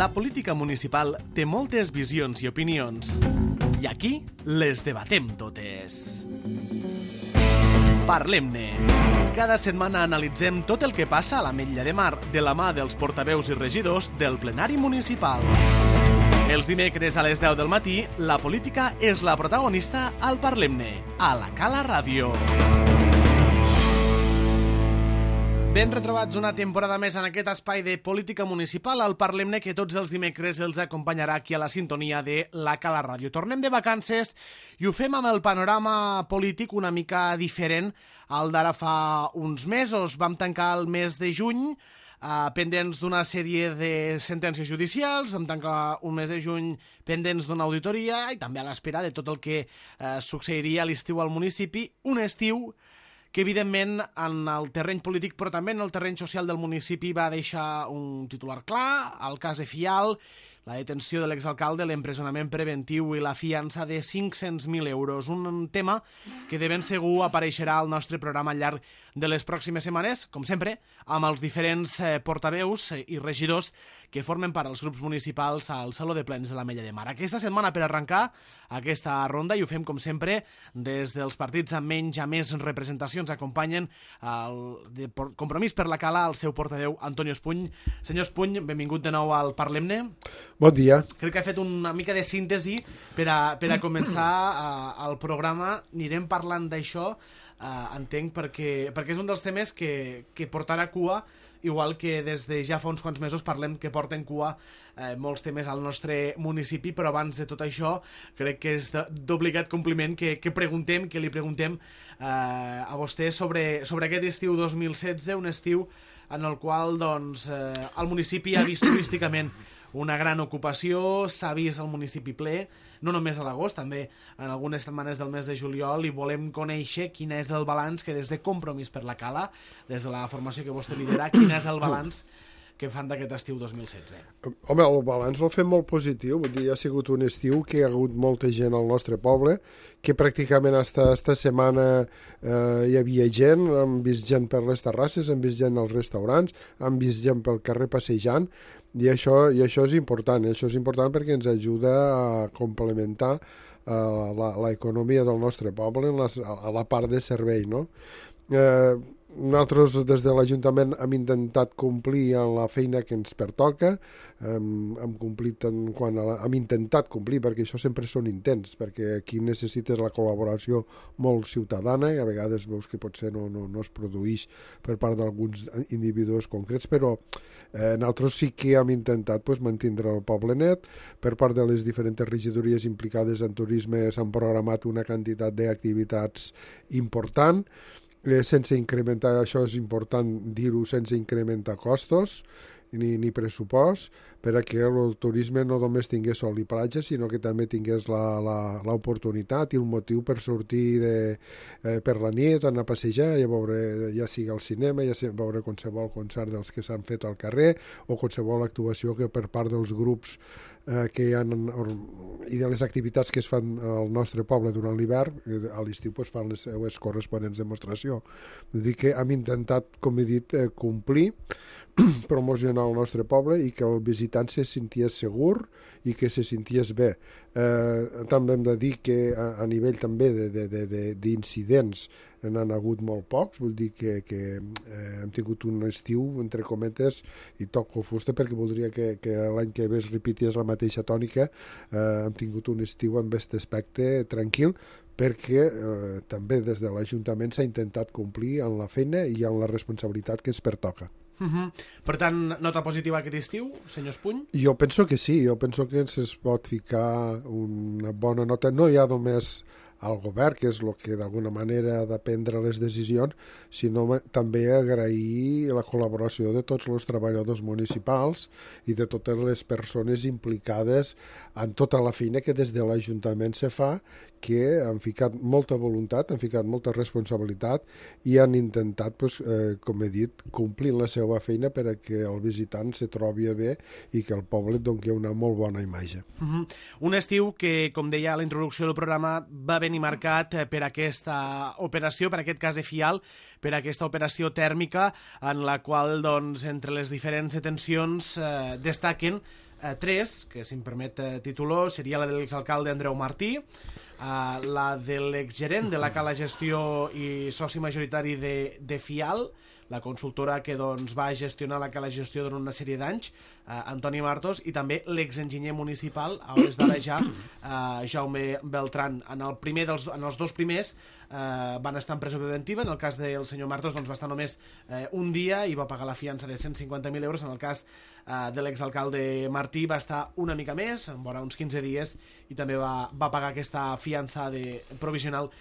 La política municipal té moltes visions i opinions. I aquí les debatem totes. Parlem-ne. Cada setmana analitzem tot el que passa a l'Ametlla de Mar de la mà dels portaveus i regidors del plenari municipal. Els dimecres a les 10 del matí, la política és la protagonista al Parlem-ne, a la Cala Ràdio. Ben retrobats una temporada més en aquest espai de política municipal, al Parlem-ne, que tots els dimecres els acompanyarà aquí a la sintonia de la Cala Ràdio. Tornem de vacances i ho fem amb el panorama polític una mica diferent al d'ara fa uns mesos. Vam tancar el mes de juny pendents d'una sèrie de sentències judicials, vam tancar un mes de juny pendents d'una auditoria i també a l'espera de tot el que succeiria a l'estiu al municipi, un estiu que evidentment en el terreny polític però també en el terreny social del municipi va deixar un titular clar, el cas de Fial, la detenció de l'exalcalde, l'empresonament preventiu i la fiança de 500.000 euros. Un tema que de ben segur apareixerà al nostre programa al llarg de les pròximes setmanes, com sempre, amb els diferents portaveus i regidors que formen part dels grups municipals al Saló de Plens de l'Ametlla de Mar. Aquesta setmana, per arrencar aquesta ronda, i ho fem com sempre, des dels partits amb menys a més representacions, acompanyen el Compromís per la Cala el seu portaveu, Antonio Espuny. Senyor Espuny, benvingut de nou al Parlem-ne. Bon dia. Crec que ha fet una mica de síntesi per a començar el programa. Anirem parlant d'això, entenc, perquè és un dels temes que portarà cua, igual que des de ja fa uns quants mesos parlem que porten cua molts temes al nostre municipi, però abans de tot això crec que és d'obligat compliment que li preguntem a vostè sobre aquest estiu 2016, un estiu en el qual el municipi ha vist turísticament una gran ocupació, s'ha vist el municipi ple, no només a l'agost, també en algunes setmanes del mes de juliol, i volem conèixer quin és el balanç que des de Compromís per la Cala, des de la formació que vostè lidera, quin és el balanç que fan d'aquest estiu 2016. Home, el balanç el fem molt positiu, vull dir, ha sigut un estiu que hi ha hagut molta gent al nostre poble, que pràcticament esta setmana hi havia gent, hem vist gent per les terrasses, hem vist gent als restaurants, hem vist gent pel carrer passejant, i això és important, perquè ens ajuda a complementar l'economia del nostre poble a la part de servei, no? Nosaltres des de l'Ajuntament hem intentat complir en la feina que ens pertoca, hem intentat complir, perquè això sempre són intents, perquè aquí necessites la col·laboració molt ciutadana, i a vegades veus que potser no es produeix per part d'alguns individus concrets, però nosaltres sí que hem intentat mantindre el poble net. Per part de les diferents regidories implicades en turisme s'han programat una quantitat d'activitats important, sense incrementar, això és important dir-ho, sense incrementar costos ni pressupost, perquè el turisme no només tingués sol i platja, sinó que també tingués l'oportunitat i el motiu per sortir per la nit, anar a passejar, i a veure, ja sigui al cinema, ja sigui a veure qualsevol concert dels que s'han fet al carrer, o qualsevol actuació que per part dels grups que hi ha i de les activitats que es fan al nostre poble durant l'hivern, a l'estiu fan les seues corresponents demostració. Vull dir que hem intentat, com he dit, complir, promocionar el nostre poble i que el visitant se senties segur i que se senties bé. També hem de dir que a nivell també d'incidents n'han hagut molt pocs, vull dir que hem tingut un estiu, entre cometes, i toco fusta perquè voldria que l'any que ve es repetés la mateixa tònica. Hem tingut un estiu amb aquest aspecte tranquil, perquè també des de l'Ajuntament s'ha intentat complir en la feina i en la responsabilitat que es pertoca. Per tant, nota positiva aquest estiu, senyor Espuny? Jo penso que sí, jo penso que es pot ficar una bona nota, no hi ha només al govern, que és el que d'alguna manera ha de prendre les decisions, sinó també agrair la col·laboració de tots els treballadors municipals i de totes les persones implicades en tota la feina que des de l'Ajuntament se fa, que han ficat molta voluntat, han ficat molta responsabilitat i han intentat, com he dit, complir la seva feina per a que el visitant se trobi bé i que el poble et doni una molt bona imatge. Un estiu que, com deia a la introducció del programa, va venir marcat per aquesta operació, per aquest cas de Fial, per aquesta operació tèrmica en la qual, entre les diferents detencions, destaquen tres, que si em permet titular, seria la de l'exalcalde Andreu Martí, la de l'exgerent de la Cala Gestió i soci majoritari de Fial, la consultora que doncs, va gestionar la Cala Gestió durant una sèrie d'anys, Antoni Martos, i també l'exenginyer municipal, a hores d'ara ja, Jaume Beltran. En els dos primers van estar en presó preventiva. En el cas del senyor Martos doncs, va estar només un dia i va pagar la fiança de 150.000 euros. En el cas de l'exalcalde Martí va estar una mica més, vora uns 15 dies, i també va pagar aquesta fiança provisional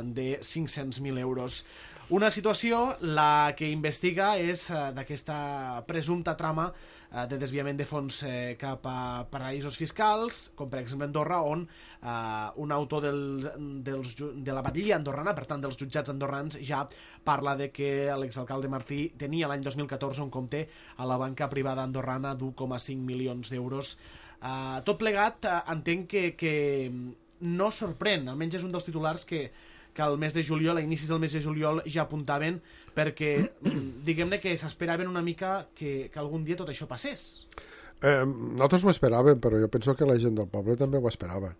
de 500.000 euros. Una situació, la que investiga és d'aquesta presumpta trama de desviament de fons cap a paraïsos fiscals, com per exemple Andorra, on un autor de la batllia andorrana, per tant dels jutjats andorrans, ja parla de que l'exalcalde Martí tenia l'any 2014 un compte a la banca privada andorrana d'1,5 milions d'euros. Tot plegat, entenc que no sorprèn, almenys és un dels titulars que al mes de juliol, a inicis del mes de juliol, ja apuntaven, perquè diguem-ne que s'esperaven una mica que algun dia tot això passés. Nosaltres ho esperàvem, però jo penso que la gent del poble també ho esperava.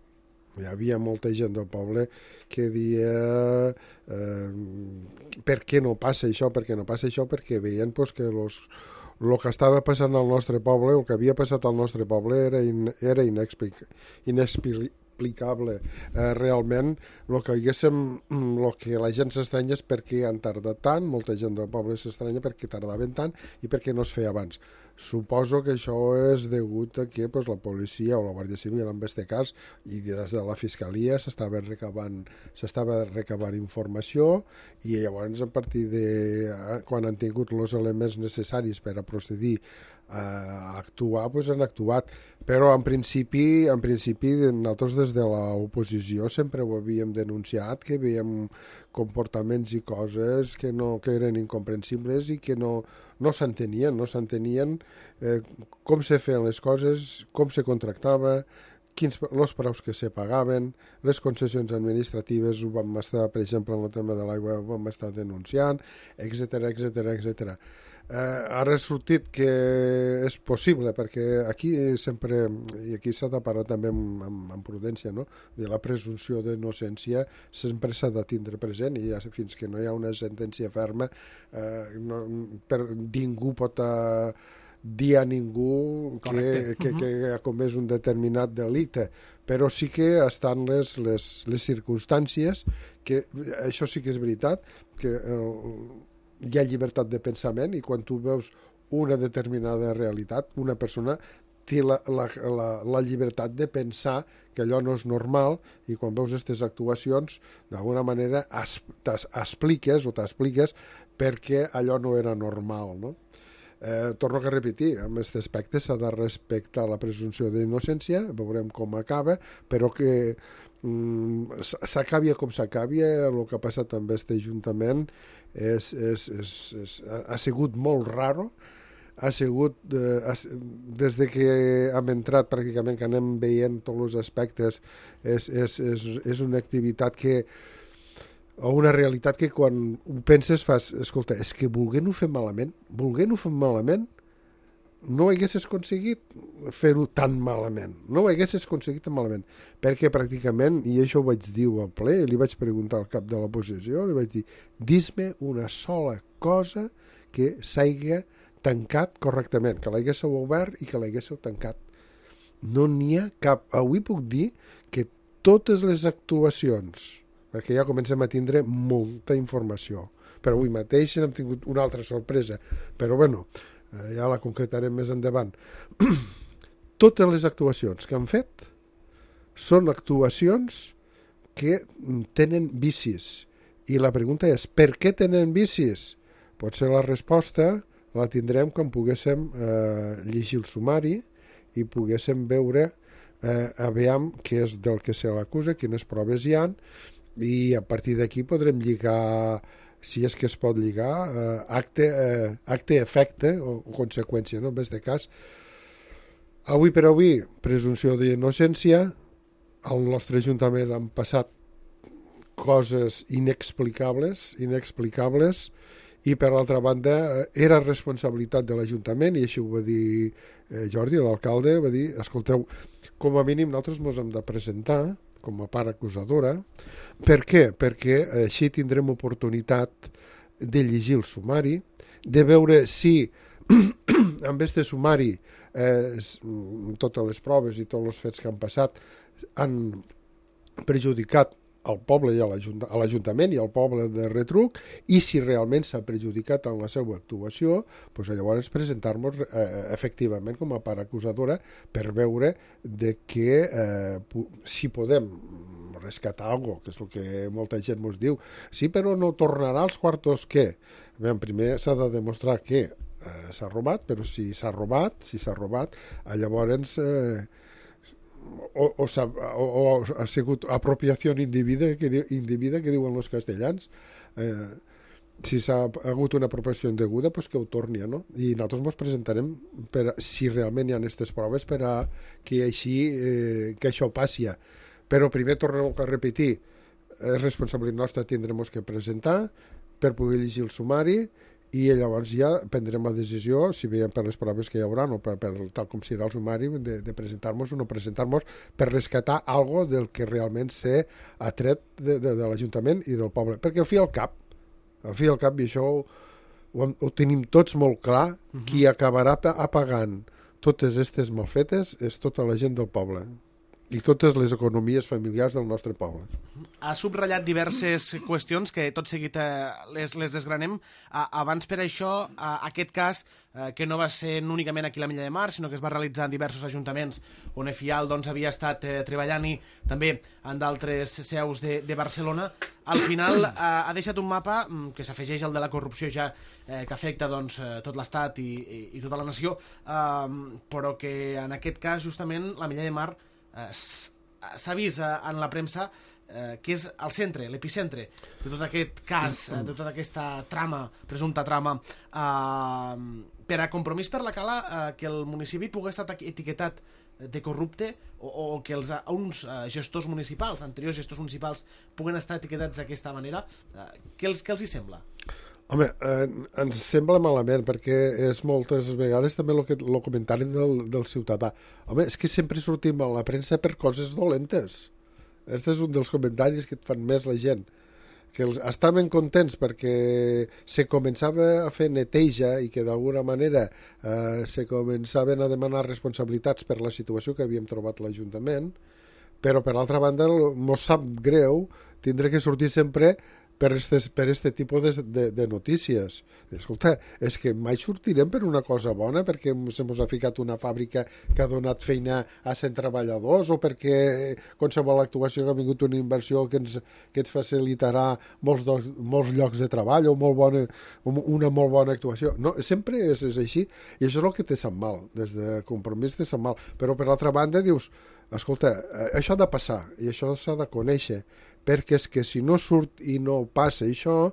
Hi havia molta gent del poble que dia per què no passa això, perquè veien pues, que el que estava passant al nostre poble, el que havia passat al nostre poble era inexplicable. Realment el que la gent s'estranya és per què han tardat tant, molta gent del poble s'estranya per què tardaven tant i per què no es feia abans. Suposo que això és degut a que la policia o la Guàrdia Civil, en aquest cas, i des de la Fiscalia s'estava recabant informació, i llavors a partir de quan han tingut els elements necessaris per a procedir a actuar, han actuat. Però en principi nosaltres des de l'oposició sempre ho havíem denunciat, que veiem comportaments i coses que eren incomprensibles i que no s'entenien com se feien les coses, com se contractava, els preus que se pagaven, les concessions administratives ho vam estar, per exemple, en el tema de l'aigua ho vam estar denunciant, etc. Ara ha sortit que és possible, perquè aquí sempre, i aquí s'ha de parlar també amb prudència, no? La presumpció d'innocència sempre s'ha de tindre present, i fins que no hi ha una sentència ferma ningú pot dir a ningú que ha comès un determinat delicte, però sí que estan les circumstàncies, que això sí que és veritat, que hi ha llibertat de pensament, i quan tu veus una determinada realitat, una persona té la llibertat de pensar que allò no és normal, i quan veus aquestes actuacions d'alguna manera t'expliques perquè allò no era normal, no? Torno a repetir, en aquest aspecte s'ha de respectar la presumpció d'innocència, veurem com acaba, però que s'acabi com s'acabi, el que ha passat amb aquest Ajuntament ha sigut molt raro, ha sigut des que hem entrat pràcticament, que anem veient tots els aspectes, és una activitat o una realitat que quan ho penses fas, escolta, és que volent-ho fer malament no haguessis aconseguit fer-ho tan malament, perquè pràcticament, i això ho vaig dir al ple, li vaig preguntar al cap de l'oposició, li vaig dir, dis-me una sola cosa que s'hagi tancat correctament, que l'haguéssiu obert i que l'haguéssiu tancat. No n'hi ha cap. Avui puc dir que totes les actuacions, perquè ja comencem a tindre molta informació, però avui mateix hem tingut una altra sorpresa, però bueno, ja la concretarem més endavant. Totes les actuacions que han fet són actuacions que tenen vicis, i la pregunta és, per què tenen vicis? Potser la resposta la tindrem quan poguéssim llegir el sumari i poguéssim veure aviam què és del que se l'acusa, quines proves hi ha, i a partir d'aquí podrem lligar, si és que es pot lligar, acte-efecte o conseqüència, no? En aquest cas, avui per avui, presumpció d'innocència, al nostre Ajuntament han passat coses inexplicables, i per altra banda era responsabilitat de l'Ajuntament, i així ho va dir Jordi, l'alcalde, va dir, escolteu, com a mínim nosaltres ens hem de presentar com a part acusadora. Per què? Perquè així tindrem oportunitat de llegir el sumari, de veure si amb aquest sumari totes les proves i tots els fets que han passat han perjudicat al poble i a l'Ajuntament i al poble de Retruc, i si realment s'ha perjudicat en la seva actuació, doncs llavors presentar-nos efectivament com a part acusadora per veure de que si podem rescatar alguna cosa, que és el que molta gent ens diu. Sí, però no tornarà als quartos, què? Bé, primer s'ha de demostrar que s'ha robat, però si s'ha robat, llavors o ha sigut apropiació individa que diuen els castellans. Si s'ha hagut una apropiació indeguda, doncs que ho torni, no? I nosaltres ens presentarem si realment hi ha aquestes proves per a que això passi. Però primer tornem a repetir, és responsabilitat nostra, tindrem que presentar per poder llegir el sumari, i llavors ja prendrem la decisió, si veiem per les proves que hi haurà o per tal com serà el sumari, de presentar-nos o no presentar-nos per rescatar algo del que realment s'ha atret de l'Ajuntament i del poble. Perquè al fi al cap, i això ho tenim tots molt clar, qui acabarà apagant totes aquestes malfetes és tota la gent del poble i totes les economies familiars del nostre poble. Ha subratllat diverses qüestions que tot seguit les desgranem. Abans per això, aquest cas, que no va ser únicament aquí a l'Ametlla de Mar, sinó que es va realitzar en diversos ajuntaments on EFIAL havia estat treballant, i també en d'altres seus de Barcelona, al final ha deixat un mapa que s'afegeix al de la corrupció ja, que afecta tot l'Estat i tota la nació, però que en aquest cas justament l'Ametlla de Mar s'ha vist en la premsa que és el centre, l'epicentre de tot aquest cas, de tota aquesta presumpta trama, per a Compromís per la Cala, que el municipi pugui estar etiquetat de corrupte, o que uns gestors municipals, anteriors gestors municipals, puguen estar etiquetats d'aquesta manera. Què els hi sembla? Home, ens sembla malament, perquè és moltes vegades també el comentari del ciutadà. Home, és que sempre sortim a la premsa per coses dolentes. Aquest és un dels comentaris que et fan més la gent. Que estaven contents perquè se començava a fer neteja i que d'alguna manera se començaven a demanar responsabilitats per la situació que havíem trobat l'Ajuntament, però per altra banda mos sap greu tindre que sortir sempre per este tipus de notícies. Escolta, és que mai sortirem per una cosa bona, perquè se mos ha ficat una fàbrica que ha donat feina a 100 treballadors, o perquè qualsevol actuació que ha vingut una inversió que ens facilitarà molts llocs de treball, o una molt bona actuació. No, sempre és així, i això és el que te sap mal. Des de Compromís te sap mal. Però per altra banda dius, escolta, això ha de passar, i això s'ha de conèixer, perquè és que si no surt i no passa això,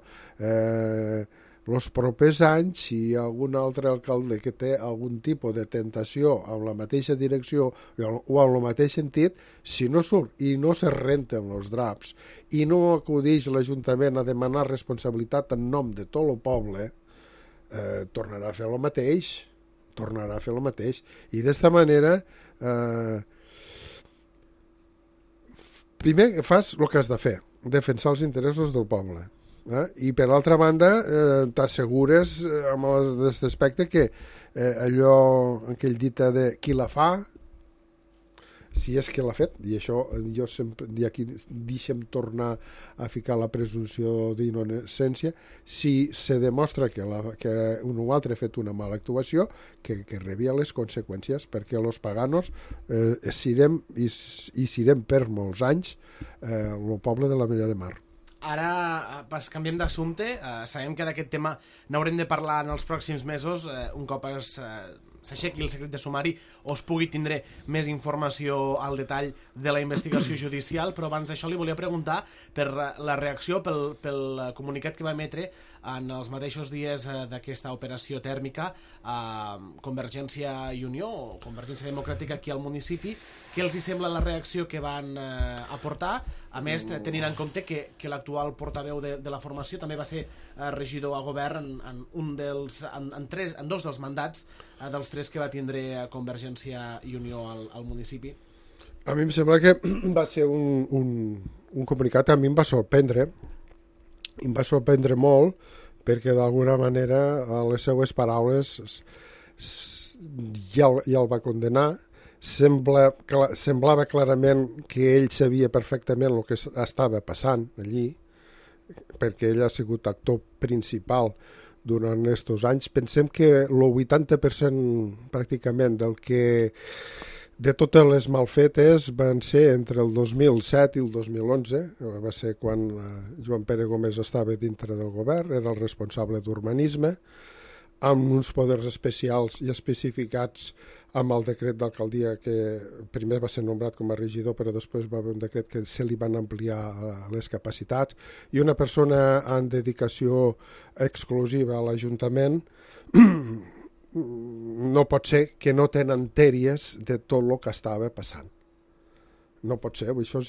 els propers anys, si hi ha algun altre alcalde que té algun tipus de tentació en la mateixa direcció o en el mateix sentit, si no surt i no se renten els draps i no acudeix l'Ajuntament a demanar responsabilitat en nom de tot el poble, tornarà a fer el mateix. I d'esta manera primer fas el que has de fer, defensar els interessos del poble. I per altra banda t'assegures amb aquest aspecte que allò, aquell dita de qui la fa, si és que l'ha fet, i això jo sempre aquí deixem tornar a ficar la presumpció d'innocència, si se demostra que un o altre ha fet una mala actuació, que rebia les conseqüències, perquè els paganos serem per molts anys el poble de l'Ametlla de Mar. Ara canviem d'assumpte. Sabem que d'aquest tema n'haurem de parlar en els pròxims mesos, un cop s'aixequi el secret de sumari o es pugui tindre més informació al detall de la investigació judicial, però abans d'això li volia preguntar per la reacció, pel comunicat que va emetre en els mateixos dies d'aquesta operació tèrmica Convergència i Unió, o Convergència Democràtica aquí al municipi. Què els hi sembla la reacció que van aportar A més, tenint en compte que l'actual portaveu de la formació també va ser regidor a govern en dos dels mandats dels 3 que va tindre Convergència i Unió al municipi. A mi em sembla que va ser un comunicat, a mi em va sorprendre molt, perquè d'alguna manera a les seues paraules ja el va condenar. Semblava clarament que ell sabia perfectament el que estava passant allí, perquè ell ha sigut actor principal durant aquests anys. Pensem que el 80% pràcticament de totes les malfetes van ser entre el 2007 i el 2011, va ser quan Joan Pere Gómez estava dintre del govern, era el responsable d'urbanisme, amb uns poders especials i especificats amb el decret d'alcaldia, que primer va ser nombrat com a regidor, però després va haver un decret que se li van ampliar les capacitats, i una persona en dedicació exclusiva a l'Ajuntament no pot ser que no tenen tèries de tot el que estava passant. No pot ser, això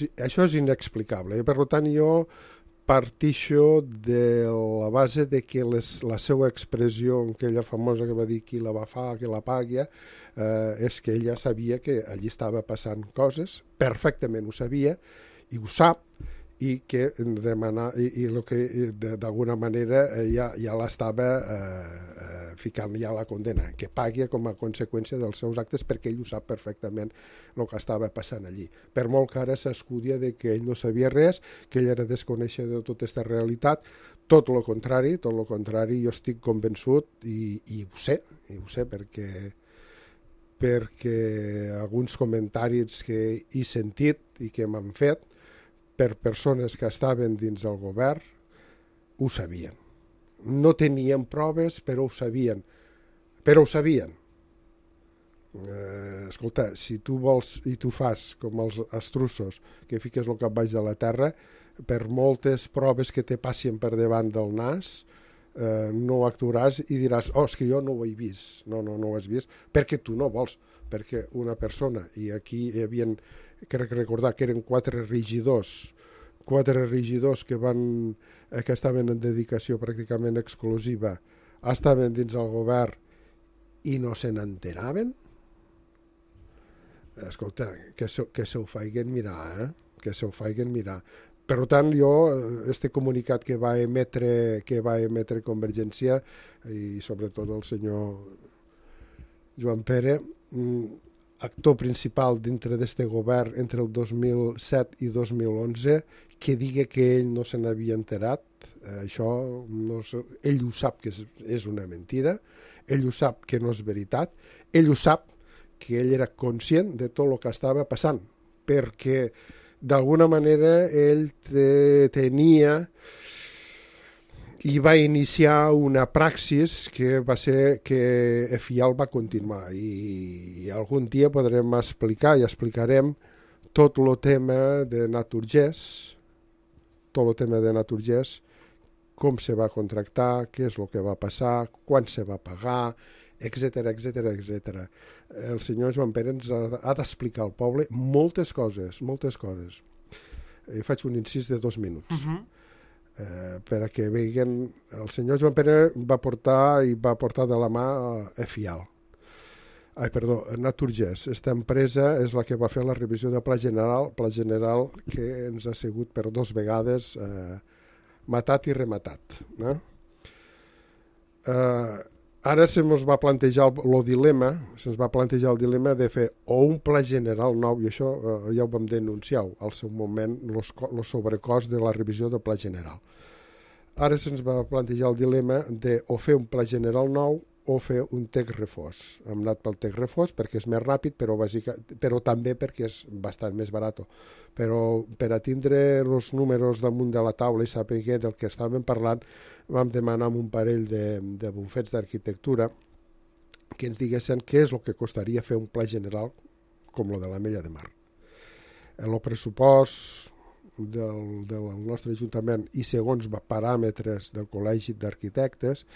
és inexplicable. I per tant, jo partixo de la base de que la seva expressió, aquella famosa que va dir qui la va fa, que la pagui, és que ella sabia que allí estava passant coses, perfectament ho sabia, i ho sap, i que d'alguna manera ja l'estava ficant ja la condena, que pagui com a conseqüència dels seus actes, perquè ell ho sap perfectament el que estava passant allí. Per molt que ara s'escudia de que ell no sabia res, que ell era desconeixedor de tota aquesta realitat, tot el contrari, jo estic convençut i ho sé perquè alguns comentaris que he sentit i que m'han fet per persones que estaven dins del govern ho sabien. No tenien proves, però ho sabien. Escolta, si tu vols i tu fas com els estruços, que fiques el cap baix de la terra, per moltes proves que te passin per davant del nas, no actuaràs i diràs, és que jo no ho he vist. No ho has vist, perquè tu no vols, perquè una persona, i aquí hi havia, crec recordar que eren 4 regidors que estaven en dedicació pràcticament exclusiva, estaven dins el govern i no se n'enteraven. Escolta, que se ho feien mirar, que se ho feien mirar. Per tant, jo, este comunicat que va emetre Convergència i sobretot el senyor Joan Pere, actor principal dintre d'este govern entre el 2007 i 2011, que digui que ell no se n'havia enterat, això ell ho sap que és una mentida, ell ho sap que no és veritat, ell ho sap que ell era conscient de tot el que estava passant, perquè d'alguna manera ell tenia i va iniciar una praxis que va ser que Efial va continuar, i algun dia podrem explicar i explicarem tot el tema de Naturgés, com se va contractar, què és el que va passar, quan se va pagar, etc. El senyor Joan Pere ens ha d'explicar al poble moltes coses. Faig un incís de 2 minuts. Perquè veguen, el senyor Joan Pere va portar de la mà Efial. Naturgés. Esta empresa és la que va fer la revisió de Pla General que ens ha sigut per 2 vegades matat i rematat. Ara se'ns va plantejar el dilema de fer o un Pla General nou, i això ja ho vam denunciar al seu moment, el sobrecost de la revisió del Pla General. Ara se'ns va plantejar el dilema de o fer un Pla General nou o fer un text refós. Hem anat pel text refós perquè és més ràpid, però també perquè és bastant més barat. Però per a tindre els números damunt de la taula i saber del que estàvem parlant, vam demanar un parell de bufets d'arquitectura que ens diguessin què és el que costaria fer un pla general com el de l'Ametlla de Mar. El pressupost del nostre Ajuntament i segons paràmetres del Col·legi d'Arquitectes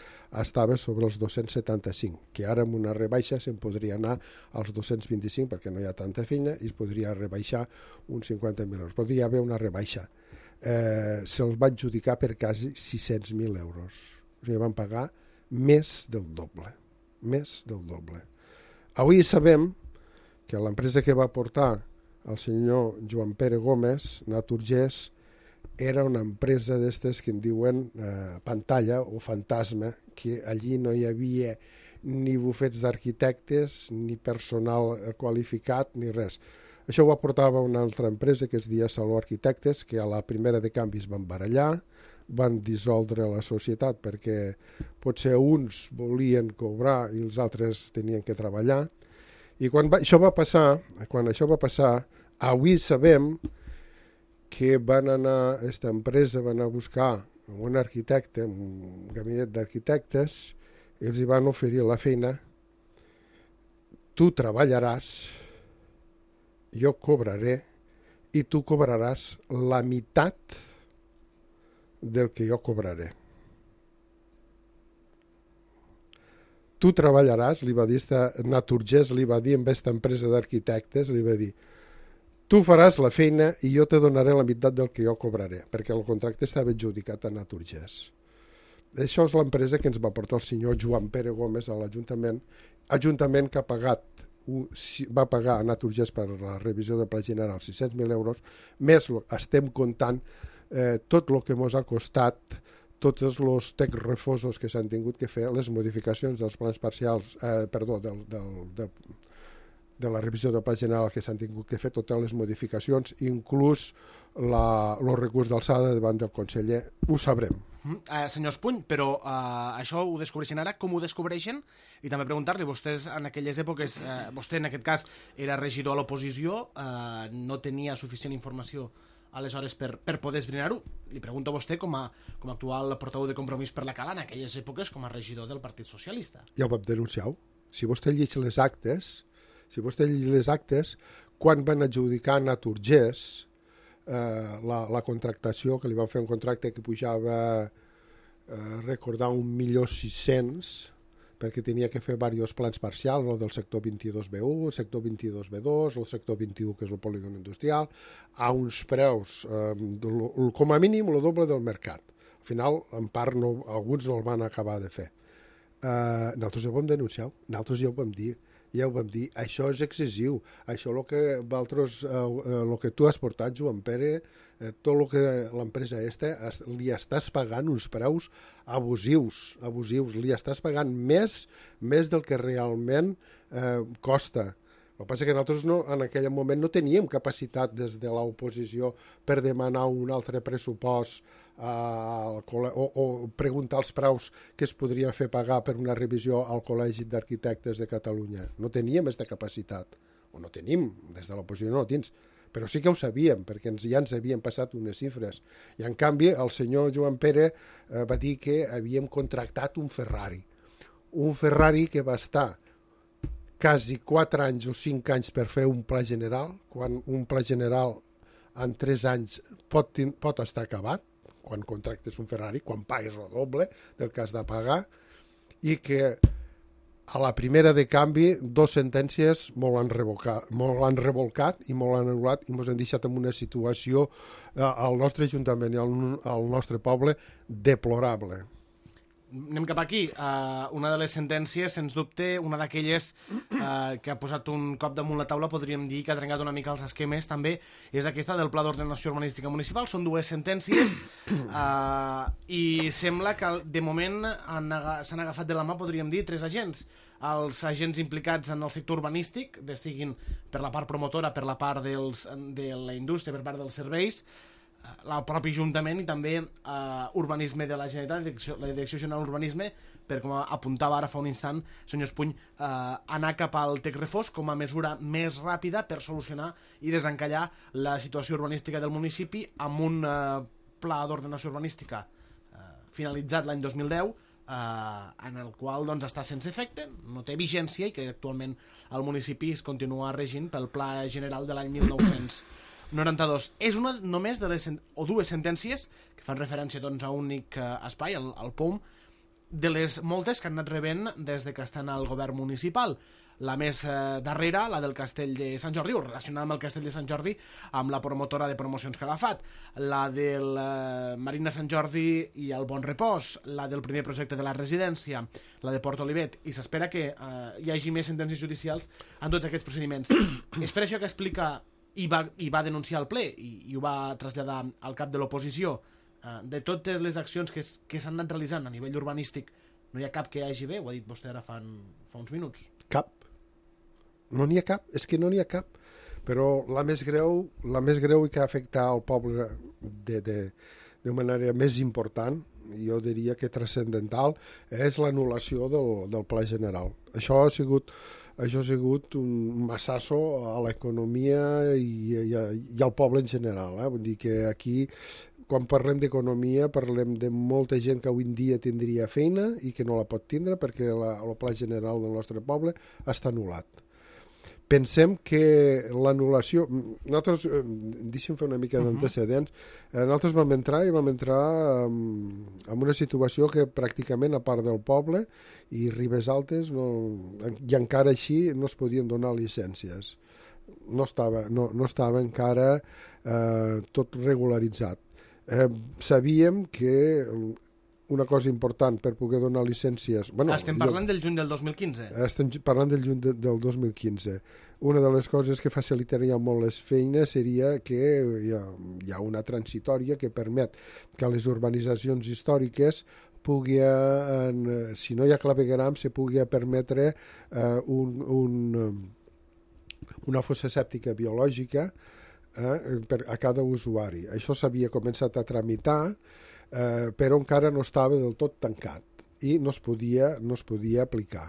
estava sobre els 275, que ara amb una rebaixa se'n podria anar als 225 perquè no hi ha tanta feina i es podria rebaixar uns 50.000 euros. Podria haver una rebaixa. Se'ls va adjudicar per quasi 600.000 euros. O sigui, van pagar més del doble. Més del doble. Avui sabem que l'empresa que va portar el senyor Joan Pere Gómez, Naturgés, era una empresa d'estes que en diuen pantalla o fantasma, que allí no hi havia ni bufets d'arquitectes, ni personal qualificat, ni res. Això ho aportava una altra empresa que es deia Saló Arquitectes, que a la primera de canvis van barallar, van dissoldre la societat perquè potser uns volien cobrar i els altres tenien que treballar. I quan això va passar, avui sabem que aquesta empresa va anar a buscar un arquitecte, un gabinet d'arquitectes, i els hi van oferir la feina. Tu treballaràs, jo cobraré, i tu cobraràs la meitat del que jo cobraré. Tu treballaràs, li va dir Naturgés, li va dir amb aquesta empresa d'arquitectes, li va dir, tu faràs la feina i jo te donaré la meitat del que jo cobraré, perquè el contracte estava adjudicat a Naturgés. Això és l'empresa que ens va portar el senyor Joan Pere Gómez a l'Ajuntament, ajuntament que va pagar a Naturgés per la revisió de Pla General 600.000 euros, més estem comptant tot el que ens ha costat tots els tecrefosos que s'han tingut que fer, les modificacions dels plans parcials, de la revisió del Pla General que s'han tingut que fer, totes les modificacions, inclús el recurs d'alçada davant del conseller, ho sabrem. Senyor Espuny, però això ho descobreixen ara, com ho descobreixen? I també preguntar-li, vostès en aquelles èpoques, vostè en aquest cas era regidor a l'oposició, no tenia suficient informació aleshores per poder esbrinar-ho. Li pregunto a vostè com a actual portaveu de Compromís per la Cala en aquelles èpoques com a regidor del Partit Socialista. Ja ho vam denunciar. Si vostè llegeix les actes, quan van adjudicar a Naturgés la contractació, que li van fer un contracte que pujava recordar 1.600.000, perquè tenia que fer diversos plans parcials, el del sector 22B1, el sector 22B2, el sector 21, que és el polígon industrial, a uns preus, com a mínim, el doble del mercat. Al final, en part, alguns no el van acabar de fer. Nosaltres ja ho vam denunciar, nosaltres ja ho vam dir, això és excessiu, això el que tu has portat, Joan Pere, tot el que l'empresa li estàs pagant uns preus abusius, li estàs pagant més del que realment costa. El que passa és que nosaltres en aquell moment no teníem capacitat des de l'oposició per demanar un altre pressupost o preguntar els preus que es podria fer pagar per una revisió al Col·legi d'Arquitectes de Catalunya. No teníem aquesta capacitat, o no tenim, des de l'oposició no ho tens, però sí que ho sabíem, perquè ja ens havien passat unes xifres. I en canvi el senyor Joan Pere va dir que havíem contractat un Ferrari que va estar quasi 4 anys o 5 anys per fer un pla general, quan un pla general en 3 anys pot estar acabat, quan contractes un Ferrari, quan pagues el doble del que has de pagar, i que a la primera de canvi 2 sentències molt l'han revolcat i molt l'han anul·lat i ens han deixat en una situació al nostre Ajuntament i al nostre poble deplorable. Anem cap aquí. Una de les sentències, sens dubte, una d'aquelles que ha posat un cop damunt la taula, podríem dir que ha trencat una mica els esquemes, també, és aquesta del Pla d'Ordenació Urbanística Municipal. Són 2 sentències i sembla que de moment s'han agafat de la mà, podríem dir, 3 agents. Els agents implicats en el sector urbanístic, bé siguin per la part promotora, per la part de la indústria, per part dels serveis, el propi Ajuntament i també Urbanisme de la Generalitat, la Direcció General d'Urbanisme, per com apuntava ara fa un instant, senyor Espuny, anar cap al tecrefós com a mesura més ràpida per solucionar i desencallar la situació urbanística del municipi amb un pla d'ordenació urbanística finalitzat l'any 2010, en el qual doncs, està sense efecte, no té vigència i que actualment el municipi es continua regint pel Pla General de l'any 1900. 92. És una només de les o dues sentències que fan referència doncs, a un únic espai, el POUM, de les moltes que han anat rebent des de que estan al govern municipal. La més darrera, la del Castell de Sant Jordi, o relacionada amb el Castell de Sant Jordi, amb la promotora de promocions Calafat, la del Marina Sant Jordi i el Bon Repòs, la del primer projecte de la residència, la de Port Olivet, i s'espera que hi hagi més sentències judicials en tots aquests procediments. És per això que explica i va denunciar al ple i ho va traslladar al cap de l'oposició. De totes les accions que s'han anat realitzant a nivell urbanístic, no hi ha cap que hi hagi bé, ho ha dit vostè ara fa uns minuts. Cap. No n'hi ha cap, és que no n'hi ha cap. Però la més greu i que afecta al poble de manera més important, jo diria que transcendental, és l'anul·lació del Pla General. Això ha sigut un massasso a l'economia i al poble en general. Vull dir que aquí, quan parlem d'economia, parlem de molta gent que avui en dia tindria feina i que no la pot tindre perquè el Pla General del nostre poble està anul·lat. Pensem que l'anul·lació... Nosaltres, deixem fer una mica d'antecedents, nosaltres vam entrar en una situació que pràcticament, a part del poble i Ribes Altes, i encara així no es podien donar llicències. No estava encara tot regularitzat. Sabíem que una cosa important per poder donar llicències... Estem parlant del juny del 2015. Estem parlant del juny del 2015. Una de les coses que facilitaria molt les feines seria que hi ha una transitòria que permet que les urbanitzacions històriques si no hi ha clavegueram, se pugui permetre una fossa sèptica biològica a cada usuari. Això s'havia començat a tramitar, però encara no estava del tot tancat i no es podia aplicar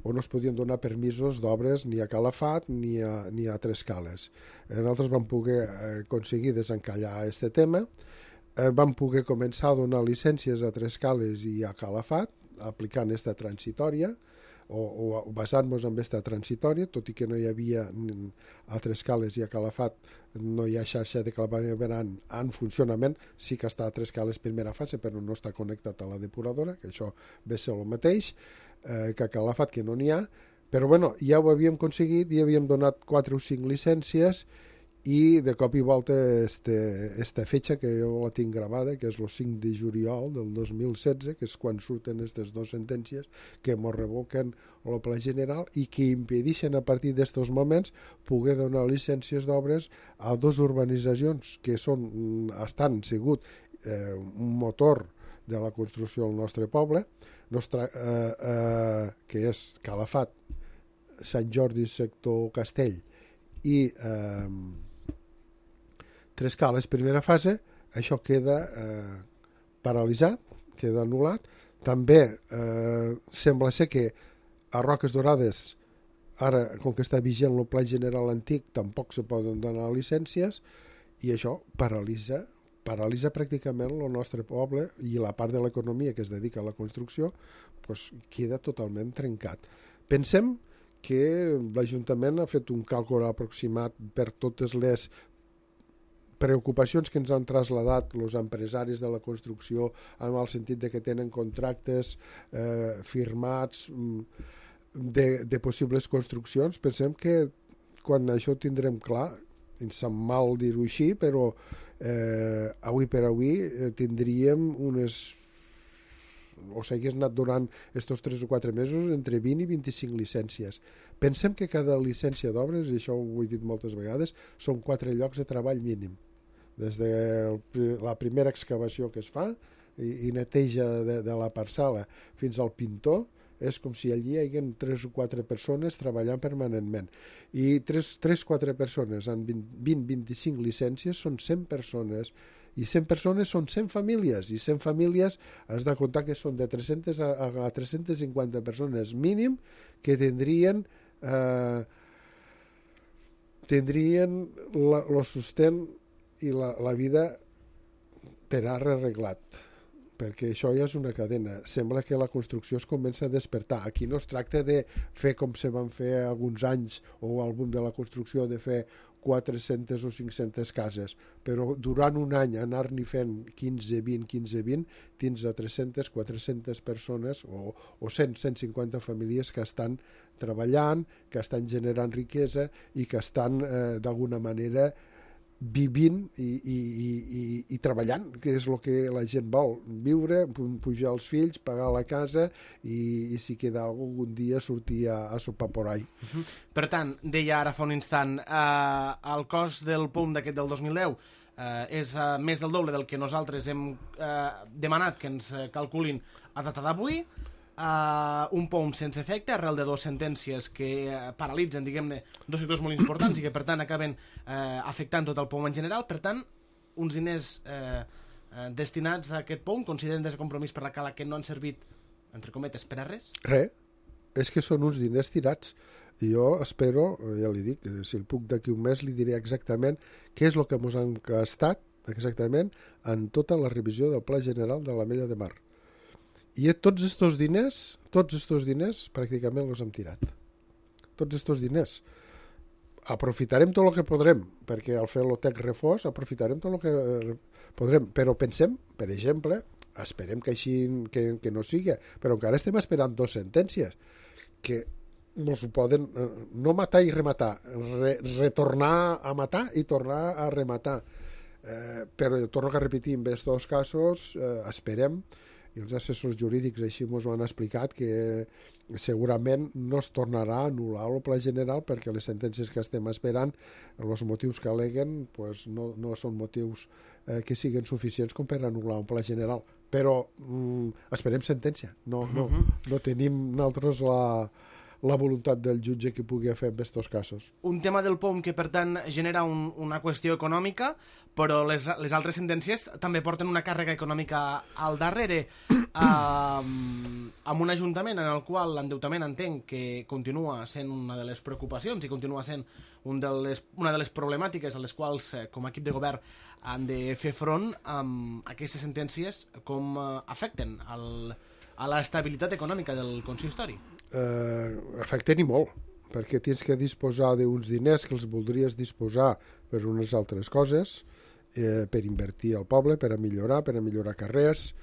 o no es podien donar permisos d'obres ni a Calafat ni a Trescales. Nosaltres vam poder aconseguir desencallar aquest tema, vam poder començar a donar llicències a Trescales i a Calafat aplicant aquesta transitòria o basant-nos en aquesta transitòria, tot i que no hi havia a Trescales i a Calafat no hi ha xarxa de clavegueram en funcionament, sí que està a Trescales primera fase però no està connectat a la depuradora, que això ve ser el mateix que a Calafat, que no n'hi ha, però bueno, ja ho havíem aconseguit i havíem donat 4 o 5 llicències i de cop i volta esta fetge que jo la tinc gravada, que és el 5 de juliol del 2016, que és quan surten aquestes 2 sentències que mos revoquen el Pla General i que impedeixen a partir d'estos moments poder donar llicències d'obres a 2 urbanitzacions que estan sigut un motor de la construcció del nostre poble, que és Calafat, Sant Jordi, sector Castell i Trescales, primera fase. Això queda paralitzat, queda anul·lat. També sembla ser que a Roques Dorades, ara, com que està vigent el Pla General antic, tampoc se poden donar llicències i això paralitza pràcticament el nostre poble i la part de l'economia que es dedica a la construcció queda totalment trencat. Pensem que l'Ajuntament ha fet un càlcul aproximat per totes les preocupacions que ens han traslladat els empresaris de la construcció en el sentit de que tenen contractes firmats de possibles construccions. Pensem que quan això ho tindrem clar, ens sap mal dir-ho així, però avui per avui tindríem o s'hagués anat durant estos 3 o 4 mesos entre 20 i 25 llicències. Pensem que cada llicència d'obres, i això ho he dit moltes vegades, són 4 llocs de treball mínim. Des de la primera excavació que es fa i neteja de la parcel·la fins al pintor, és com si allí hi hagués 3 o 4 persones treballant permanentment. I 3-4 persones en 20-25 llicències són 100 persones, i 100 persones són 100 famílies, i 100 famílies has de comptar que són de 300 a 350 persones mínim que tindrien el sostén i la vida per ara arreglat, perquè això ja és una cadena. Sembla que la construcció es comença a despertar. Aquí no es tracta de fer com se van fer alguns anys o al boom de la construcció, de fer 400 o 500 cases, però durant un any anar-n'hi fent 15-20, tens a 300, 400 persones o 100, 150 famílies que estan treballant, que estan generant riquesa i que estan d'alguna manera vivint i treballant, que és el que la gent vol, viure, pujar els fills, pagar la casa i si queda algun dia sortir a sopar por ahí. Per tant, deia ara fa un instant, el cost del POM d'aquest del 2010 és més del doble del que nosaltres hem demanat que ens calculin a data d'avui, un POM sense efecte arrel de dues sentències que paralitzen, diguem-ne, dos sectors molt importants i que per tant acaben afectant tot el POM en general. Per tant, uns diners destinats a aquest POM consideren des de Compromís per la Cala que no han servit, entre cometes, per a res? Res, és que són uns diners tirats. I jo espero, ja li dic, si el puc d'aquí un mes li diré exactament què és el que ens han gastat exactament en tota la revisió del Pla General de l'Ametlla de Mar. I tots estos diners pràcticament els hem tirat. Tots estos diners. Aprofitarem tot el que podrem, perquè al fer l'OTEC refós aprofitarem tot el que podrem, però pensem, per exemple, esperem que així que no sigui, però encara estem esperant dues sentències que ens poden no matar i rematar, retornar a matar i tornar a rematar. Però torno a repetir, en aquests dos casos esperem, i els assessors jurídics així ens ho han explicat, que segurament no es tornarà a anul·lar el Pla General perquè les sentències que estem esperant, els motius que al·leguen, pues no són motius que siguin suficients com per anul·lar un Pla General. Però esperem sentència. No tenim nosaltres la voluntat del jutge que pugui fer en aquests casos. Un tema del POM que, per tant, genera una qüestió econòmica, però les altres sentències també porten una càrrega econòmica al darrere, amb un ajuntament en el qual l'endeutament entenc que continua sent una de les preocupacions i continua sent una de les problemàtiques a les quals, com a equip de govern, han de fer front amb aquestes sentències, com afecten a l'estabilitat econòmica del consistori. Afecten i molt, perquè tens que disposar d'uns diners que els voldries disposar per unes altres coses, per invertir al poble, per a millorar carrers,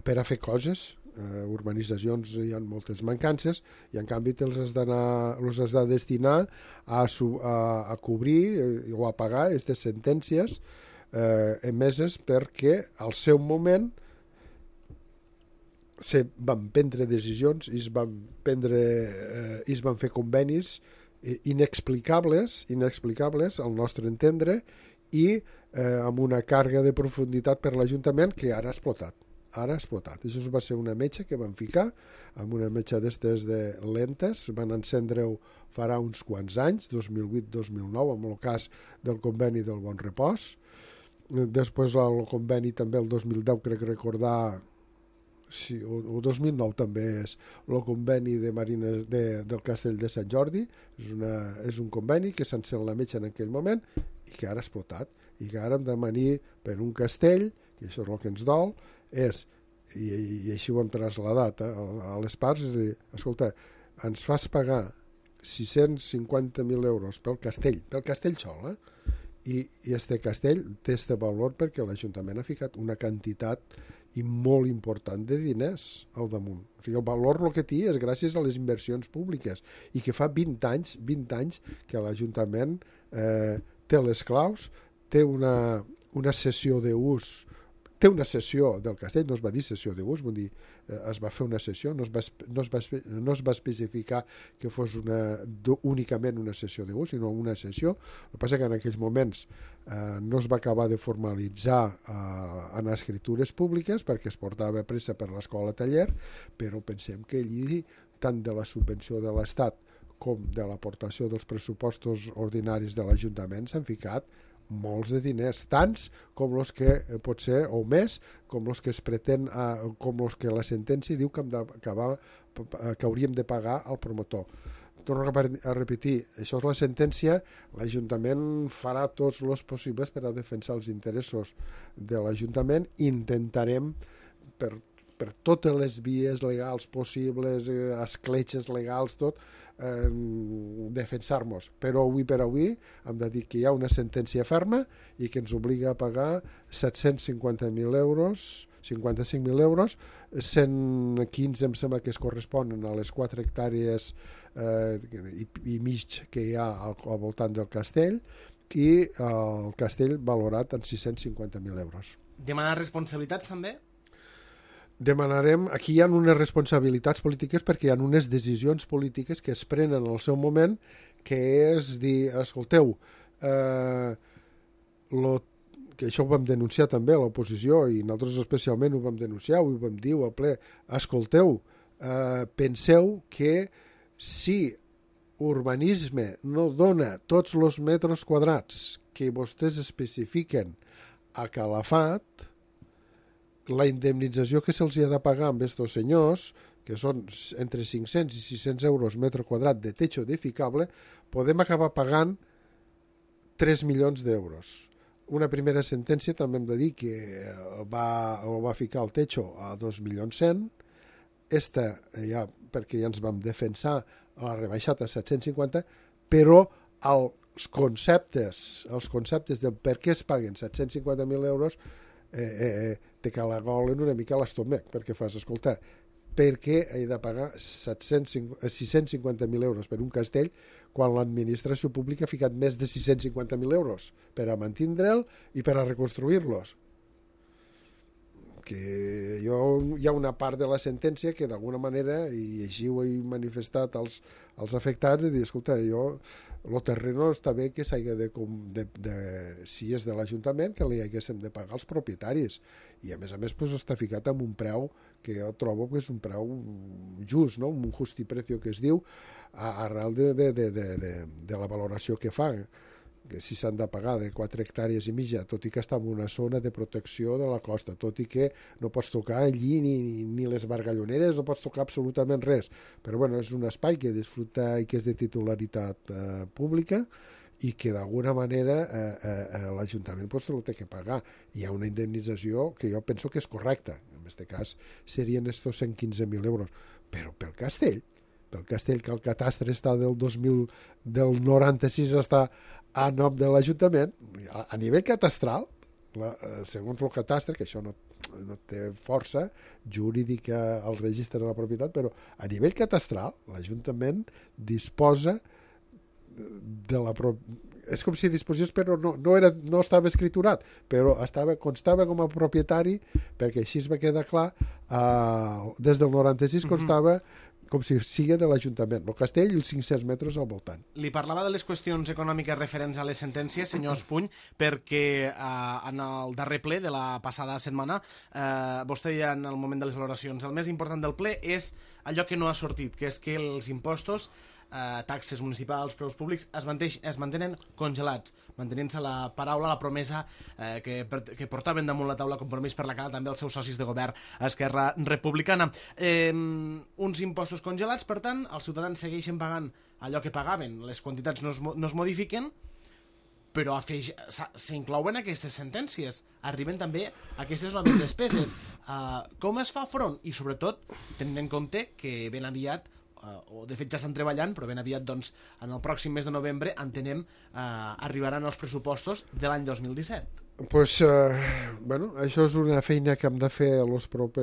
per a fer coses, urbanitzacions hi ha moltes mancances i en canvi els has de destinar a cobrir o a pagar aquestes sentències emeses perquè al seu moment se van prendre decisions i es van fer convenis inexplicables al nostre entendre i amb una càrrega de profunditat per l'Ajuntament que ara ha explotat. Això va ser una metxa que van ficar amb una metxa d'estes de lentes, van encendre-ho farà uns quants anys, 2008-2009, amb el cas del conveni del Bon Repòs. Després el conveni també el 2010, crec recordar, sí, o 2009 també és el conveni de marines del Castell de Sant Jordi. És un conveni que s'ha encès la metxa en aquell moment i que ara ha explotat i que ara hem de venir per un castell, i això és el que ens dol, i així ho hem traslladat a les parts, és a dir, escolta, ens fas pagar 650.000 euros pel castell sol, i este castell té este valor perquè l'Ajuntament ha ficat una quantitat i molt important de diners al damunt. O sigui, el valor el que té és gràcies a les inversions públiques i que fa 20 anys que l'Ajuntament té les claus, té una cessió d'ús, té una cessió del castell, no es va dir cessió d'ús, vull dir, es va fer una cessió, no es va especificar que fos únicament una cessió d'ús, sinó una cessió. El que passa que en aquells moments no es va acabar de formalitzar en escritures públiques perquè es portava pressa per l'escola taller, però pensem que allí, tant de la subvenció de l'Estat com de l'aportació dels pressupostos ordinaris de l'Ajuntament s'han ficat molts de diners, tants com els que pot ser, o més, com els que es pretén, com els que la sentència diu que hauríem de pagar al promotor. Torno a repetir, això és la sentència, l'Ajuntament farà tots els possibles per a defensar els interessos de l'Ajuntament, intentarem per per totes les vies legals possibles, escletxes legals, tot, defensar-nos. Però avui per avui hem de dir que hi ha una sentència ferma i que ens obliga a pagar 750.000 euros, 55.000 euros, 115 em sembla que es corresponen a les 4 hectàrees i mig que hi ha al voltant del castell, i el castell valorat en 650.000 euros. Demanar responsabilitats també? Demanarem, aquí hi ha unes responsabilitats polítiques perquè hi ha unes decisions polítiques que es prenen al seu moment, que és dir, escolteu, que això ho vam denunciar també a l'oposició i nosaltres especialment ho vam denunciar, ho vam dir al ple, escolteu, penseu que si urbanisme no dona tots els metres quadrats que vostès especifiquen a Calafat, la indemnització que se'ls ha de pagar amb estos senyors, que són entre 500 i 600 euros metre quadrat de techo edificable, podem acabar pagant 3 milions d'euros. Una primera sentència també hem de dir que va ficar el techo a 2.100.000, esta ja, perquè ja ens vam defensar, l'ha rebaixat a 750, però els conceptes del per què es paguen 750.000 euros te calagolen una mica a l'estómac, perquè fas, escolta, per què he de pagar 650.000 euros per un castell quan l'administració pública ha ficat més de 650.000 euros per a mantindre'l i per a reconstruir-los? Que hi ha una part de la sentència que d'alguna manera, i així ho he manifestat als afectats, de dir, escolta, el terreno està bé que s'hagi si és de l'Ajuntament, que li haguéssim de pagar als propietaris, i a més pues, està ficat amb un preu que jo trobo que és un preu just, no? Un justiprecio que es diu, arrel de la valoració que fan, que si s'han de pagar de 4 hectàrees i mitja, tot i que està en una zona de protecció de la costa, tot i que no pots tocar allí ni les bargalloneres, no pots tocar absolutament res, però bueno, és un espai que disfruta i que és de titularitat pública i que d'alguna manera l'Ajuntament pues, ho té que pagar. Hi ha una indemnització que jo penso que és correcta, en aquest cas serien estos 115.000 euros, però pel castell que el catastre està del 96 està a nom de l'Ajuntament, a nivell catastral, segons el catastre, que això no té força jurídica al registre de la propietat, però a nivell catastral l'Ajuntament disposa de la és com si disposés, però no estava escriturat, però constava com a propietari, perquè així es va quedar clar, des del 96 constava com si sigui de l'Ajuntament, el castell i els 500 metres al voltant. Li parlava de les qüestions econòmiques referents a les sentències, senyor Espuny, perquè en el darrer ple de la passada setmana, vostè ja en el moment de les valoracions, el més important del ple és allò que no ha sortit, que és que els impostos, taxes municipals, preus públics, es mantenen congelats, mantenint-se la paraula, la promesa que portaven damunt la taula Compromís per la Cara també els seus socis de govern Esquerra Republicana. Uns impostos congelats, per tant, els ciutadans segueixen pagant allò que pagaven, les quantitats no es modifiquen, però s'inclouen aquestes sentències, arriben també aquestes noves despeses. Com es fa front? I sobretot, tenint en compte que ben aviat o de fet ja estan treballant, però ben aviat doncs, en el pròxim mes de novembre entenem arribaran els pressupostos de l'any 2017. Pues, això és una feina que hem de fer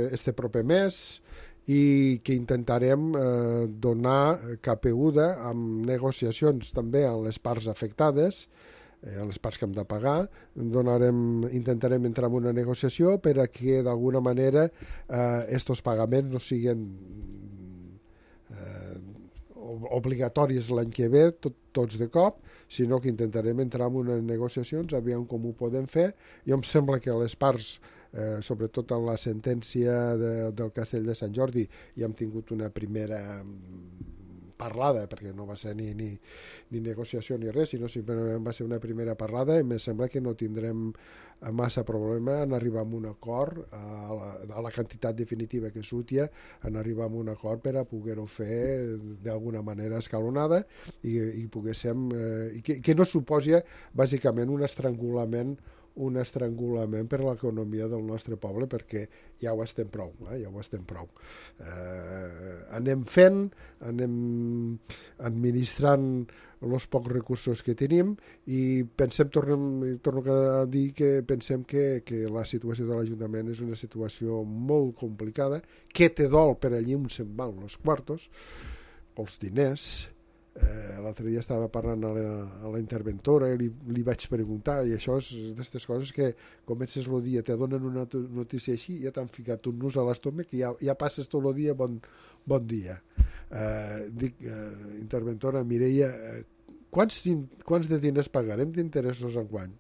este proper mes i que intentarem donar capeguda amb negociacions també amb les parts afectades, les parts que hem de pagar. Intentarem entrar en una negociació per a que d'alguna manera estos pagaments no siguin obligatoris l'any que ve, tots de cop, sinó que intentarem entrar en unes negociacions, aviam com ho podem fer. Jo em sembla que les parts, sobretot en la sentència del Castell de Sant Jordi, ja hem tingut una primera parlada, perquè no va ser ni negociació ni res, sinó simplement va ser una primera parlada, i em sembla que no tindrem massa problema en arribar a un acord a la quantitat definitiva que surti, en arribar a un acord per a poder-ho fer d'alguna manera escalonada i poguéssim que no suposi bàsicament un estrangulament un estrangulament per a l'economia del nostre poble, perquè ja ho estem prou, anem fent, anem administrant els pocs recursos que tenim i torno a dir que pensem que la situació de l'Ajuntament és una situació molt complicada, que te dol per allí on se'n van els quartos, els diners. L'altre dia estava parlant a la interventora i li vaig preguntar, i això és d'aquestes coses que comences el dia, te donen una notícia així, ja t'han ficat un nus a l'estómac i ja passes tot el dia bon dia. Dic, interventora Mireia, quants de diners pagarem d'interessos enguany?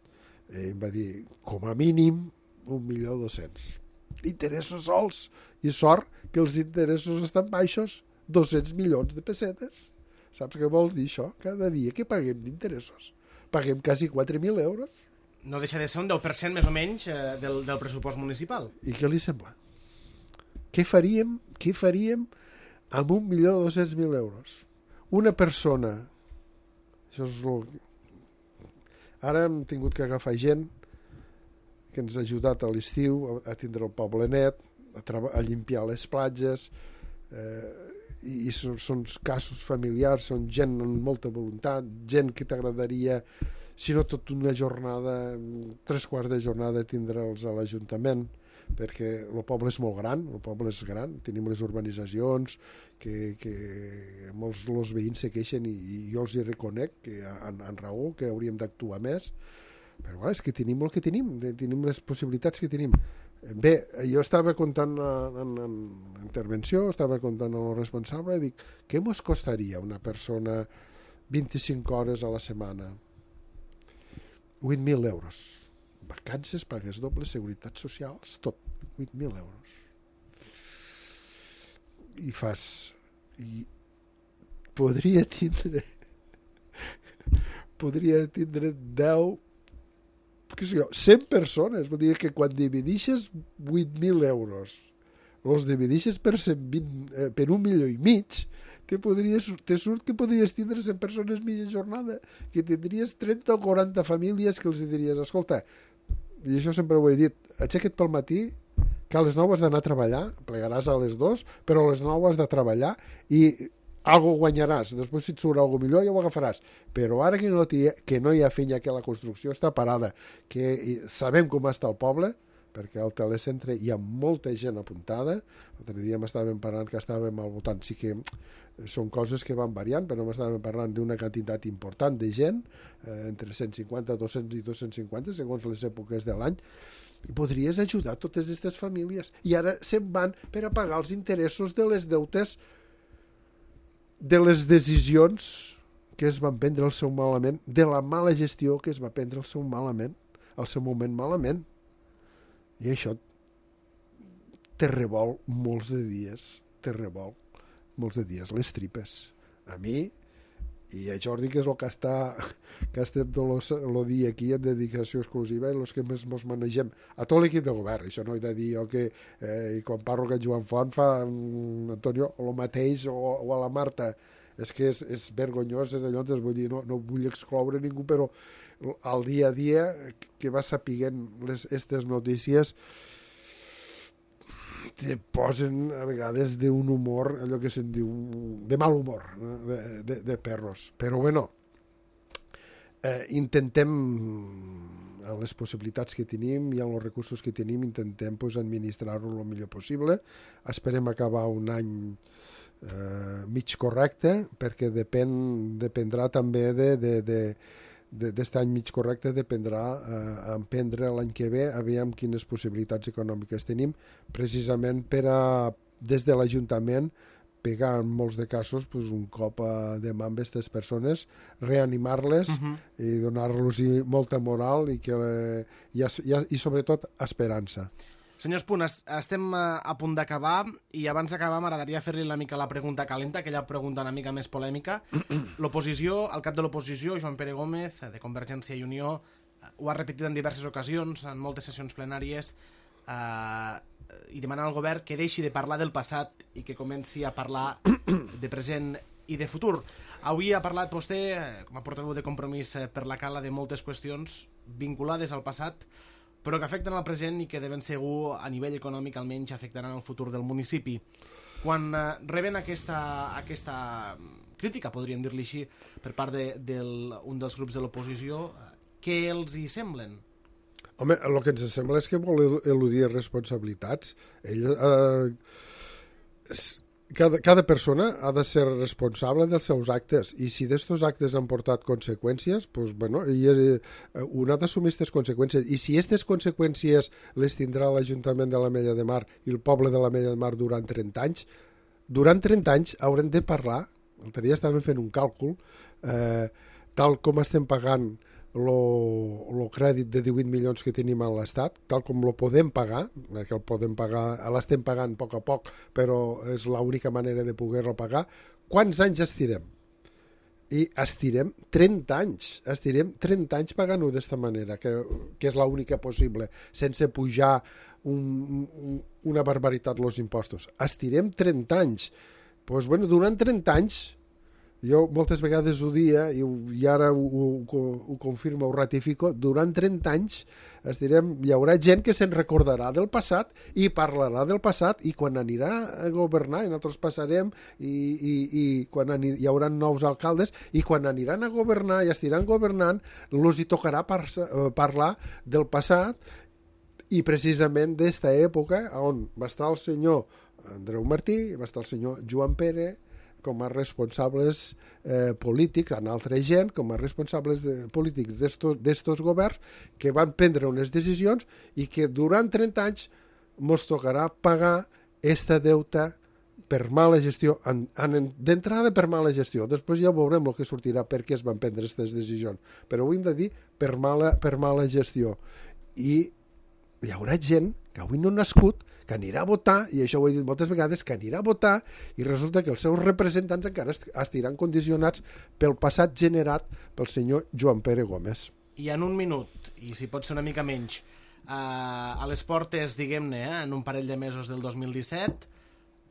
I em va dir, com a mínim 1.200.000 interessos sols, i sort que els interessos estan baixos, 200 milions de pessetes. Saps què vol dir això? Cada dia que paguem d'interessos paguem quasi 4.000 euros. No deixa de ser un 10% més o menys del pressupost municipal. I què li sembla? Què faríem amb 1.200.000 euros? Una persona, això és ara hem tingut que agafar gent que ens ha ajudat a l'estiu a tindre el poble net, a limpiar les platges, i són casos familiars, són gent amb molta voluntat, gent que t'agradaria, si no tot una jornada, 3/4 de jornada, tindre'ls a l'Ajuntament, perquè el poble és molt gran, tenim les urbanitzacions que molts els veïns se queixen i jo els hi reconec que han raó, que hauríem d'actuar més, però és que tenim el que tenim les possibilitats que tenim. Bé, jo estava comptant en intervenció, estava comptant amb el responsable i dic, què mos costaria una persona 25 hores a la setmana? 8.000 euros. Vacances, pagues dobles, seguretats socials, tot. 8.000 euros. I podria tindre 10, què sé jo, 100 persones. Vull dir que quan dividixes 8.000 euros, els dividixes per 120, per 1,5 milions, te surt que podries tindre 100 persones mitja jornada, que tindries 30 o 40 famílies que els diries, escolta, i això sempre ho he dit, aixeca't pel matí, que a les 9 has d'anar a treballar, plegaràs a les 2, però a les 9 has de treballar i algo guanyaràs, després si et surt algo millor ja ho agafaràs, però ara que no hi ha feina, que la construcció està parada, que sabem com està el poble, perquè al telecentre hi ha molta gent apuntada, l'altre dia m'estàvem parlant que estàvem al voltant, sí que són coses que van variant, però m'estàvem parlant d'una quantitat important de gent, entre 150, 200 i 250, segons les èpoques de l'any, i podries ajudar totes aquestes famílies, i ara se'n van per a pagar els interessos de les deutes de les decisions que es van prendre al seu malament, de la mala gestió que es va prendre al seu malament, al seu moment malament. I això te revol molts de dies, les tripes. A mi i a Jordi, que és el que estem tot el dia aquí en dedicació exclusiva, i els que més ens manegem a tot l'equip de govern. Això no he de dir jo que quan parlo que en Joan Font fa Antonio el mateix, o a la Marta, és que és vergonyós, és allò, vull dir, no vull excloure ningú, però al dia a dia que vas sapiguent aquestes notícies te posen a vegades d'un humor, allò que se'n diu de mal humor, de perros. Però bueno, intentem, amb les possibilitats que tenim i amb els recursos que tenim, intentem administrar-ho el millor possible. Esperem acabar un any mig correcte, perquè dependrà també d'aquest any mig correcte, dependrà emprendre l'any que ve, aviam quines possibilitats econòmiques tenim, precisament per a, des de l'Ajuntament, pegar en molts de casos un cop de mà amb aquestes persones, reanimar-les i donar-los molta moral i sobretot esperança. Senyor Espuny, estem a punt d'acabar i abans d'acabar m'agradaria fer-li una mica la pregunta calenta, aquella pregunta una mica més polèmica. L'oposició, el cap de l'oposició, Joan Pere Gómez, de Convergència i Unió, ho ha repetit en diverses ocasions, en moltes sessions plenàries, i demanant al govern que deixi de parlar del passat i que comenci a parlar de present i de futur. Avui ha parlat vostè, com a portaveu de Compromís per la Cala, de moltes qüestions vinculades al passat, però que afecten el present i que de ben segur, a nivell econòmic almenys, afectaran el futur del municipi. Quan reben aquesta crítica, podríem dir-li així, per part d'un dels grups de l'oposició, què els hi semblen? Home, el que ens sembla és que vol eludir responsabilitats. Cada persona ha de ser responsable dels seus actes, i si d'estos actes han portat conseqüències, doncs, bueno, un ha d'assumir aquestes conseqüències, i si aquestes conseqüències les tindrà l'Ajuntament de l'Ametlla de Mar i el poble de l'Ametlla de Mar durant 30 anys haurem de parlar. L'altre dia estàvem fent un càlcul, tal com estem pagant el crèdit de 18 milions que tenim a l'Estat, tal com lo podem pagar, que el podem pagar, l'estem pagant a poc, però és l'única manera de poder-lo pagar, quants anys estirem? I estirem 30 anys, pagant-ho d'esta manera, que és l'única possible, sense pujar una barbaritat els impostos. Estirem 30 anys. Doncs, bueno, durant 30 anys, jo moltes vegades ho dia i ara ho confirmo, ho ratifico, durant 30 anys hi haurà gent que se'n recordarà del passat i parlarà del passat, i quan anirà a governar, i nosaltres passarem i quan hi haurà nous alcaldes, i quan aniran a governar i estiran governant, els hi tocarà parlar del passat, i precisament d'esta època on va estar el senyor Andreu Martí, va estar el senyor Joan Pere com a responsables polítics, en altra gent, com a responsables polítics d'estos governs, que van prendre unes decisions i que durant 30 anys ens tocarà pagar esta deuta per mala gestió, d'entrada per mala gestió, després ja veurem el que sortirà per què es van prendre aquestes decisions, però ho hem de dir per mala gestió. I hi haurà gent que avui no ha nascut, que anirà a votar, i això ho he dit moltes vegades, que anirà a votar i resulta que els seus representants encara estiran condicionats pel passat generat pel senyor Joan Pere Gómez. I en un minut, i si pot ser una mica menys, a les portes, diguem-ne, en un parell de mesos del 2017,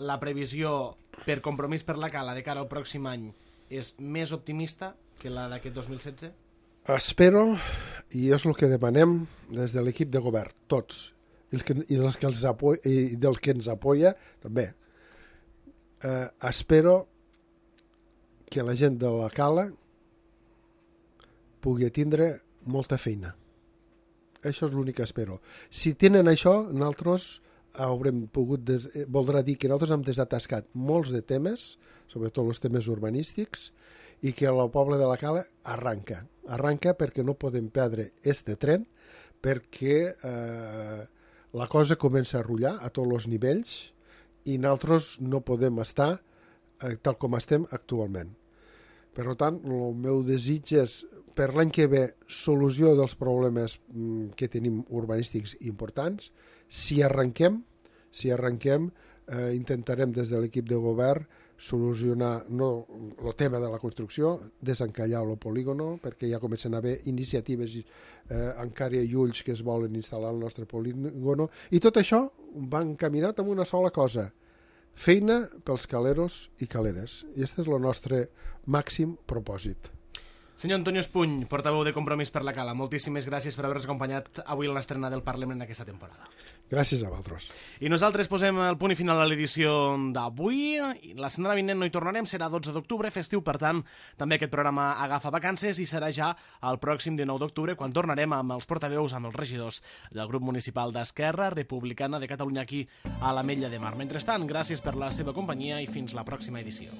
la previsió per Compromís per la Cala de cara al pròxim any és més optimista que la d'aquest 2016? Espero, i és el que demanem des de l'equip de govern, tots, i del que ens apoya també. Espero que la gent de la Cala pugui tindre molta feina. Això és l'únic que espero. Si tenen això, nosaltres voldrà dir que nosaltres hem desatascat molts de temes, sobretot els temes urbanístics, i que el poble de la Cala arranca perquè no podem perdre este tren, perquè la cosa comença a rullar a tots els nivells i nosaltres no podem estar tal com estem actualment. Per tant, el meu desig és per l'any que ve solució dels problemes que tenim urbanístics importants. Si arrenquem, intentarem des de l'equip de govern solucionar el tema de la construcció, desencallar el polígono, perquè ja comencen a haver iniciatives encara i ulls que es volen instal·lar al nostre polígono, i tot això va encaminat amb una sola cosa: feina pels caleros i caleres. I aquest és el nostre màxim propòsit. Senyor Antonio Espuny, portaveu de Compromís per la Cala, moltíssimes gràcies per haver-nos acompanyat avui en l'estrena del Parlament aquesta temporada. Gràcies a vosaltres. I nosaltres posem el punt i final a l'edició d'avui. La setmana vinent no hi tornarem, serà 12 d'octubre, festiu, per tant, també aquest programa agafa vacances i serà ja el pròxim 19 d'octubre, quan tornarem amb els portaveus, amb els regidors del grup municipal d'Esquerra Republicana de Catalunya aquí a l'Ametlla de Mar. Mentrestant, gràcies per la seva companyia i fins la pròxima edició.